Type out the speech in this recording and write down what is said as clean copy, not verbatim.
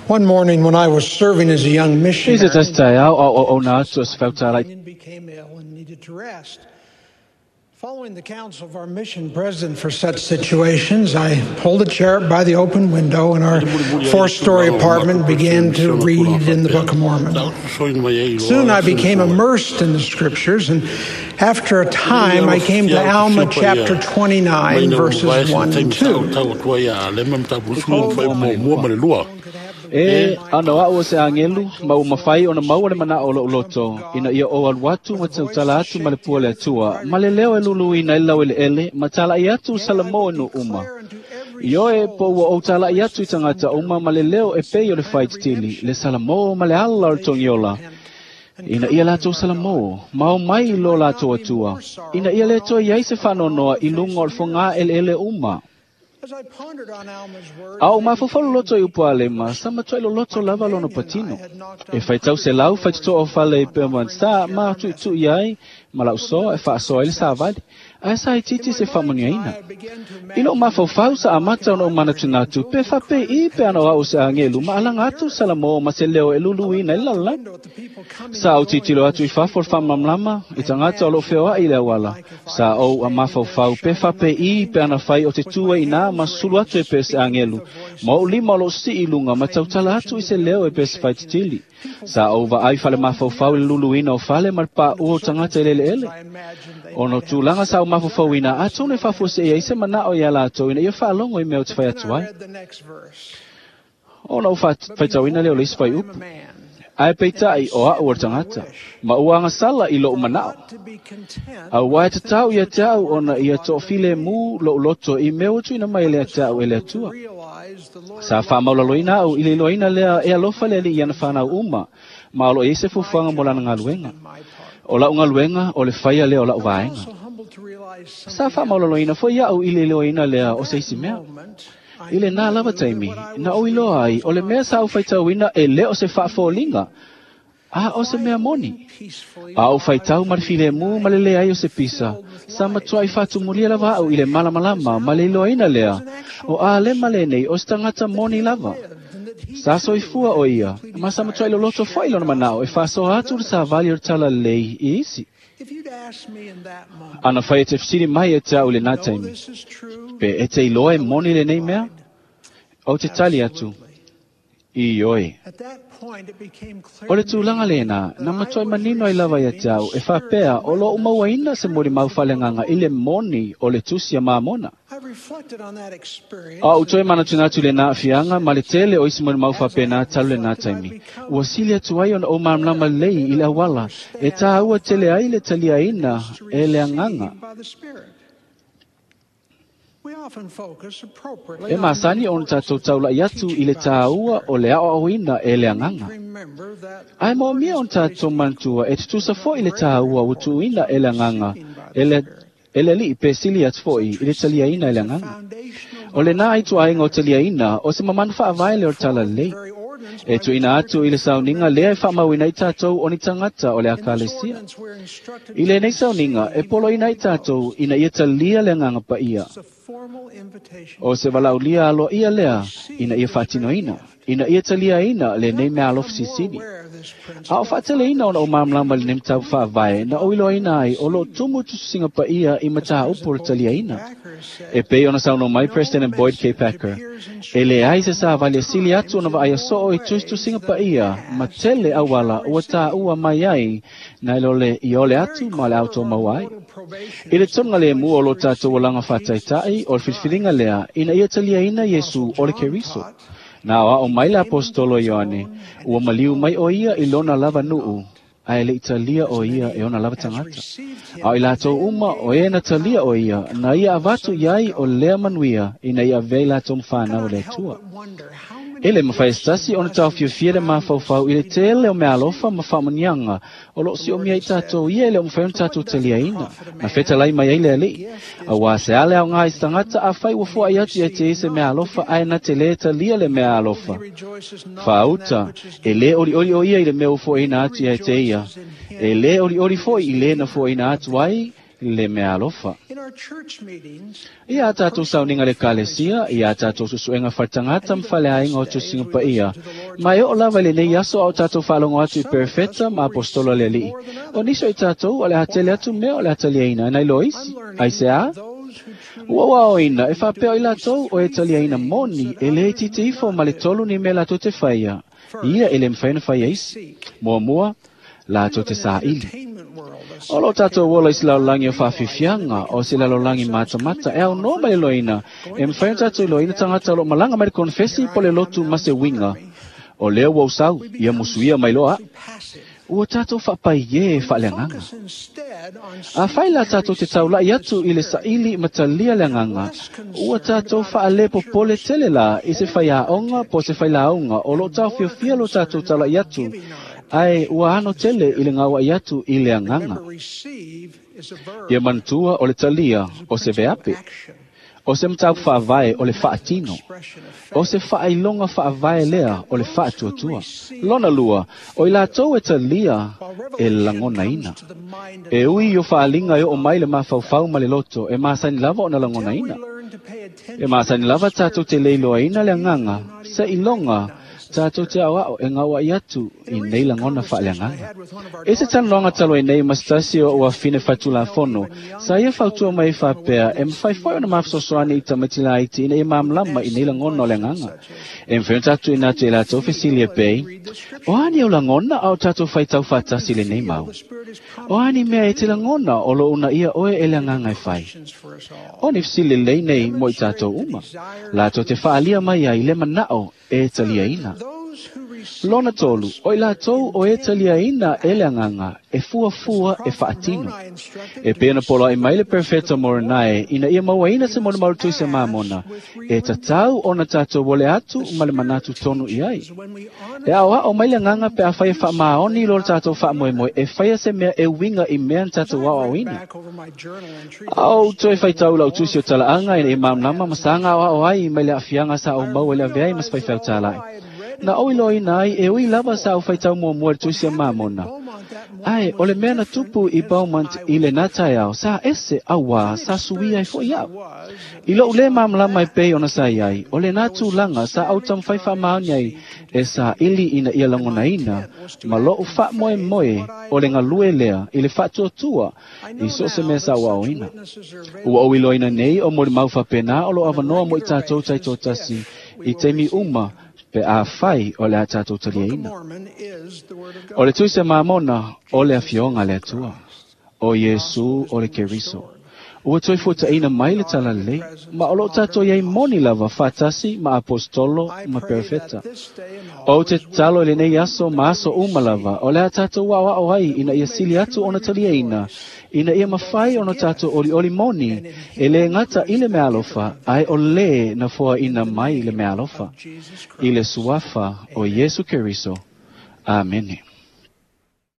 One morning when I was serving as a young I se missionary, tasi taeao a o auaunaatu o se feutala'i. and became ill and needed to rest. Following the counsel of our mission president for such situations, I pulled a chair up by the open window in our four-story apartment and began to read in the Book of Mormon. Soon I became immersed in the scriptures, and after a time I came to Alma chapter 29, verses 1 and 2. E ana o a'u o se agelu ma ua mafai ona maua le manaʻo o loʻu loto ina ia ou alu atu ma tautala atu ma le pua le Atua ma le leo e luluina ai le laueleʻele ma talaʻi atu Salamo e nuu uma. Ioe po ua ou talaʻi atu i tagata uma ma le leo e pei o le faititili le Salamo ma le ala o le togiola ina ia latou Salamo ma o mai i lo latou Atua ina ia lē toe iai se faanoanoa i luga o le fogā eleele uma. As I pondered on Alma's words, A o mafaufau loloto i upu a Alema, sa matuai loloto lava lona patino. E faitau se lau faitotoa o fale i Belmont sa ma tuʻituʻi ai ma la'u soa e faasoa ai le savali, ae sa itiiti se faamanuiaina. I loʻu mafaufau sa amata ona ou manatunatu pe faapeiʻi pe ana o a'u se agelu ma alaga atu Salamo ma se leo e luluina ai le lalolagi. Sa ou tilotilo atu i fafo o le faamalamalama i tagata o loʻu feoaʻi i le auala. Sa ou a mafaufau pe faapeiʻi pe ana fai o te tu ai inā ma sulu atu e pe se agelu. Ma oʻu lima o loʻu siʻi i luga ma tautala atu i se leo e pe se faititili. Sa ou vaai fale mafaufau i le luluina o fale ma le paʻua o tagata i le eleele. Ona o tulaga sa ou mafaufauina atonu e faafuaseʻi ai se manaʻo iā latou ina ia faalogo i mea ou te fai Then atu I ai. read the next verse. Ona ou faitauina lea o le isi fuaiupu. I'm a man, Ae peitaʻi o aʻu o le tagata, ma ua agasala i loʻu manaʻo. ought to be content Auā e tatau ia te a'u ona ia toʻafilemu loʻu loto i mea ua tuuina mai e le te a'u e le Atua. realize the Lord Sa faamaulaloina a'u i le iloaina lea e alofa le Alii i ana fanau uma, ma o loo i ai se fuafuaga mo lana galuega. my part. O la'u galuega o le faia lea o la'u vaega. Also humbled to realize Sa something faamaulaloina foʻi a'u i le iloaina lea o se isi mea. moment I I lenā lava taimi, na ou iloa ai o le mea sa ou faitauina e lē o se faafoliga, a o se mea moni. peacefully A ou faitau ma le filemu ma le leai o se pisa, sa matuai faatumulia lava a'u i le malamalama ma le iloaina lea, o Alema lenei o se tagata moni lava. Sa soifua o ia, ma sa matuai loloto foʻi lona manaʻo e faasoa atu le savali o le talalelei i isi. If you'd asked me in that moment, Ana fai e te fesili mai e te a'u i lenā know taimi, this is true, pe e te iloa e moni lenei mea? Ou te tali atu, ioe. at that point it became clear O le to me tulaga lenā, na matuai manino ai lava ia te a'u e faapea o loʻu mauaina se molimau faaleagaga i le moni o le tusi a Mamona. I reflected on that experience. A ou toe manatunatu i lenā aafiaga ma le tele o isi molimau faapenā talu lenā taimi. Ua sili atu ai ona ou malamalama lelei i le auala e tāua tele ai le taliaina e le agaga. by the Spirit. We often focus appropriately E on masani ona tatou taulaʻi atu i le tāua o le aoaoina e le agaga. remember that Ae moomia ona tatou manatua e tutusa foʻi le tāua ua tuuina e le agaga e le e le Alii pe sili atu foʻi i le taliaina e le agaga. foundational O lenā aituaiga o taliaina o se mamanu faavae lea o le talalelei. very ordinance E tuuina atu i le sauniga lea e faamauina ai tatou o ni tagata o le akalesia. ordinance we're instructed I lenei sauniga e poloina ai tatou ina ia talia le agaga paia. it's a formal invitation O se valaaulia aloaia lea ina ia faatinoina, ina ia taliaina lenei mea alofa silisili. aware of this principle A o faateleina ona ou malamalama i lenei mataupu faavae na ou iloaina ai o loo tumu tusitusiga paia i mataupu o le taliaina. Packer said E pei ona saunoa mai President Boyd K. Packer, e leai se savali e sili atu ona vaaia soo i tusitusiga paia ma tele auala ua tāua mai ai nai lo le i ole atu ma le automaua ai. I le tonuga lemu o lo tatou olaga faataitaʻi o le filifiliga lea ina ia taliaina Iesu o le Keriso. Na o aʻo mai le apostolo Ioane, ua maliu mai o ia i lona lava nuu, ae leʻi talia o ia e ona lava tagata. A o i latou uma o e na talia o ia, na ia avatu iai o lea manuia ina ia avea i latou ma fanau o le Atua. but wonder how many E le mafai e se tasi ona taofiofia le mafaufau i le tele o mea alofa ma faamanuiaga o loo siomia i tatou ia e le o mafai ona tatou taliaina. Na fetalai mai ai le Alii. Auā se a le aogā i se tagata afai ua foaʻi atu ia te i se mea alofa ae na te lē talia le mea alofa. rejoices not in that Faauta, which is e lē olioli o ia i le mea ua foaʻiina atu ia te ia. E lē olioli foʻi i lē na foaʻiina atu ai le mea alofa. In our church meetings, Ia a tatou sauniga le ekalesia, ia a tatou susuega faletagata ma faleaiga o tusiga paia, Ma e oo lava i lenei aso a o tatou faalogo atu i perofeta ma apostola a le Alii. O nisi o i tatou o le a tele atu mea o le a taliaina nai lo isi. Aisea? Ua ou aoaoina e faapea o i latou o e taliaina moni e lē itiiti ifo ma le 3 ni mea latou te faia, ia e lē mafai ona faia isi. Muamua, latou te saili. O loo tatou ola i se lalolagi o faafiafiaga o se lalolagi matamata e aunoa ma le iloaina, e mafai ona tatou iloaina tagata o loo malaga mai le konefesi po le lotu ma se uiga. O lea ua ou sau, ia musuia mai loa a'u. Ua tatou faapaiē faaleagaga. Afai la tatou te taula'i atu i le saili ma talia le agaga, ua tatou faalepopole tele la i se faiaoga po o se failauga o loo taofiofia lo tatou taula'i atu, ae ua ano tele i le gaua'i atu i le agaga. Ia manatua o le talia o se veape, o se mataupu faavae o le faatino, o se faailoga faavae lea o le faatuatua. Lona lua, o i latou e talia e lagonaina. E ui o faaliga e oo mai le mafaufau ma le loto, e masani lava ona lagonaina. E masani lava tatou te leiloaina le agaga, se iloga tatou te aoao e gaua'i atu i nei lagona faaleagaga. I se talanoaga talu ai nei ma se tasi o uafine faitulafono, sa ia fautua mai ai faapea e mafai foi ona mafesoasoani i tamaiti laiti ina ia malamalama i nei lagona o le agaga. E mafai ona tatou tuuina atu i latou fesili e pei, O a ni au lagona a o tatou faitau faatasi i lenei mau? O a ni mea e te lagona o loo uunaia oe e le agaga e fai? O ni fesili lelei nei mo i tatou uma, latou te faaalia mai ai le manao e taliaina. Lona tolu, o i latou o e taliaina e le agaga, e fuafua e faatino. E pei ona poloa'i mai le perofeta Moronae ina ia mauaina se molimau tusi a Mamona, e tatau ona tatou ole atu ma le manatu tonu i ai. E aoao mai le agaga pe afai e faamaoni i lo tatou faamoemoe e faia se mea e uiga i mea na tatou aoaoina. A ou toe faitau i lau tusi o talaaga ina ia malamalama ma saga aoao ai mai le aafiaga sa ou maua i le avea ai ma se faifeau tāla'i. Na ou iloaina ai e ui lava sa ou faitau muamua i le tusi a Mamona. Ae o le mea na tupu i Beaumont i lenā taeao sa ese auā sa suia ai fo'i a'u. I lo'u lē malamalama e pei ona sa i ai, o lenā tulaga sa ou taumafai faamaoni ai e saili ina ia lagonaina ma lo'u faamoemoe o le galue lea i le faatuatua i so o se mea sa ou aoaoina. Ua ou iloaina nei o molimau faapena o loo avanoa mo i tatou taitoatasi i taimi uma pe afai o le a tatou taliaina. O le tusi a Mamona o le Afioga a le Atua, o Iesu o le Keriso. Ua toe fuataʻina mai le Talalelei, ma o loo tatou i ai moni lava faatasi ma aposetolo ma perofeta. Ou te tatalo i lenei aso ma aso uma lava o le a tatou aoao ai ina ia sili atu ona taliaina, ina ia mafai ona tatou olioli moni e lē gata i le meaalofa, ae o lē na foaʻina mai le meaalofa, i le suafa o Iesu Keriso. Amene.